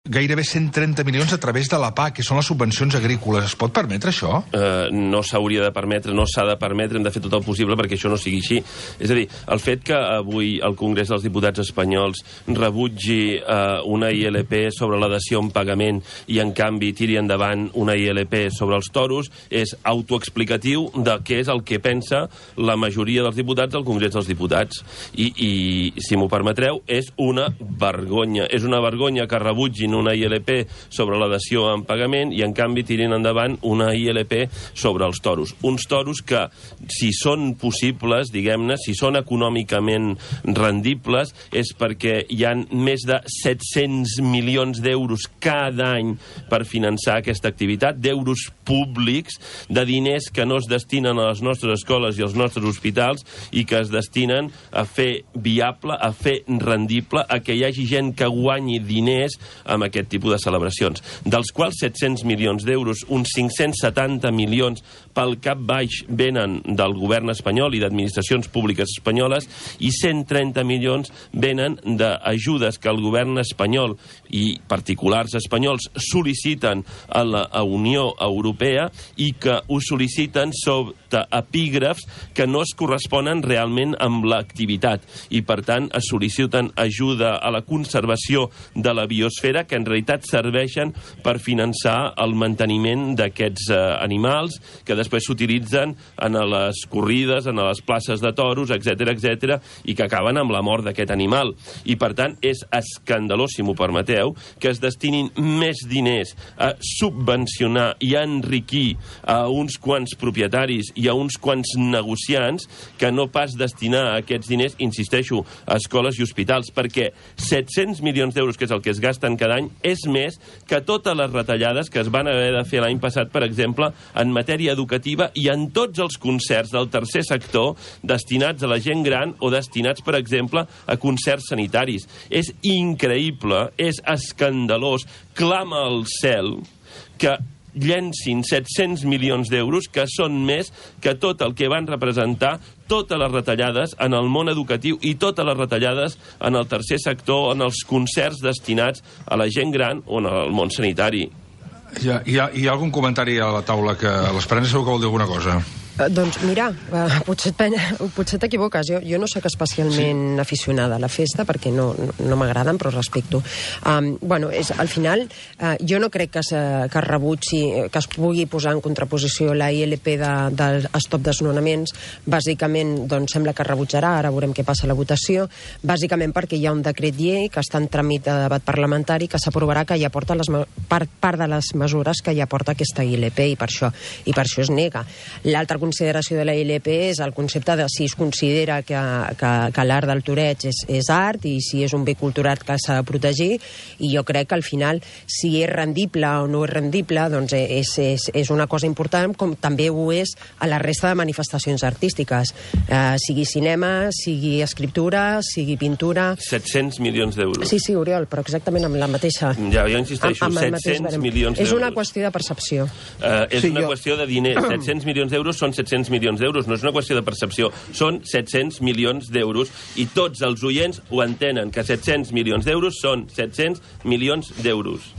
gairebé 130 milions a través de la PAC, que són les subvencions agrícoles. Es pot permetre això? No s'hauria de permetre, no s'ha de permetre, hem de fer tot el possible perquè això no sigui així. És a dir, el fet que avui el Congrés dels Diputats espanyols rebutgi una ILP sobre la dació en pagament i, en canvi, tiri endavant una ILP sobre els toros és autoexplicatiu de què és el que pensa la majoria dels diputats del Congrés dels Diputats. I si m'ho permetreu, és una vergonya. És una vergonya que rebutgin una ILP sobre la dació en pagament i, en canvi, tirin endavant una ILP sobre els toros. Uns toros que, si són possibles, diguem-ne, si són econòmicament rendibles, és perquè hi ha més de 700 milions d'euros cada any per finançar aquesta activitat, d'euros públics, de diners que no es destinen a les nostres escoles i als nostres hospitals i que es destinen a fer viable, a fer rendible, a que hi hagi gent que guanyi diners amb aquest tipus de celebracions. Dels quals 700 milions d'euros, uns 570 milions pel cap baix venen del govern espanyol i d'administracions públiques espanyoles i 130 milions venen d'ajudes que el govern espanyol i particulars espanyols sol·liciten a la Unió Europea i que ho sol·liciten sota epígrafs que no es corresponen realment amb l'activitat i, per tant, es sol·liciten ajuda a la conservació de la biosfera que en realitat serveixen per finançar el manteniment d'aquests animals que després s'utilitzen en les corrides, en les places de toros, etc, i que acaben amb la mort d'aquest animal. I, per tant, és escandalós, si m'ho permeteu, que es destinin més diners a subvencionar i a enriquir a uns quants propietaris i a uns quants negociants que no pas destinar aquests diners, insisteixo, a escoles i hospitals, perquè 700 milions d'euros, que és el que es gasten cada any, és més que totes les retallades que es van haver de fer l'any passat, per exemple, en matèria educativa i en tots els concerts del tercer sector destinats a la gent gran o destinats, per exemple, a concerts sanitaris. És increïble, és escandalós, clama al cel que llencin 700 milions d'euros, que són més que tot el que van representar totes les retallades en el món educatiu i totes les retallades en el tercer sector, en els concerts destinats a la gent gran o en el món sanitari. Hi ha algun comentari a la taula que l'Esperança segur que vol dir alguna cosa? Doncs mira, potser t'equivoques. Jo no soc especialment aficionada a la festa perquè no m'agraden, però respecto. Al final, jo no crec que es rebutgi, que es pugui posar en contraposició la ILP del stop desnonaments. Bàsicament, doncs, sembla que es rebutjarà, ara veurem què passa a la votació, bàsicament perquè hi ha un decret llei que està en tràmit de debat parlamentari que s'aprovarà, que ja porta part de les mesures que ja porta aquesta ILP i per això es nega. L'altra consideració de la ILP és el concepte de si es considera que l'art del toreig és art i si és un bé cultural que s'ha de protegir, i jo crec que al final si és rendible o no és rendible doncs és una cosa important, com també ho és a la resta de manifestacions artístiques, sigui cinema, sigui escriptura, sigui pintura. 700 milions d'euros. Sí, Oriol, però exactament amb la mateixa... Ja, jo insisteixo, 700 milions d'euros. És una qüestió de percepció. És una qüestió de diners. 700 milions d'euros són 700 milions d'euros, no és una qüestió de percepció, són 700 milions d'euros i tots els oients ho entenen, que 700 milions d'euros són 700 milions d'euros.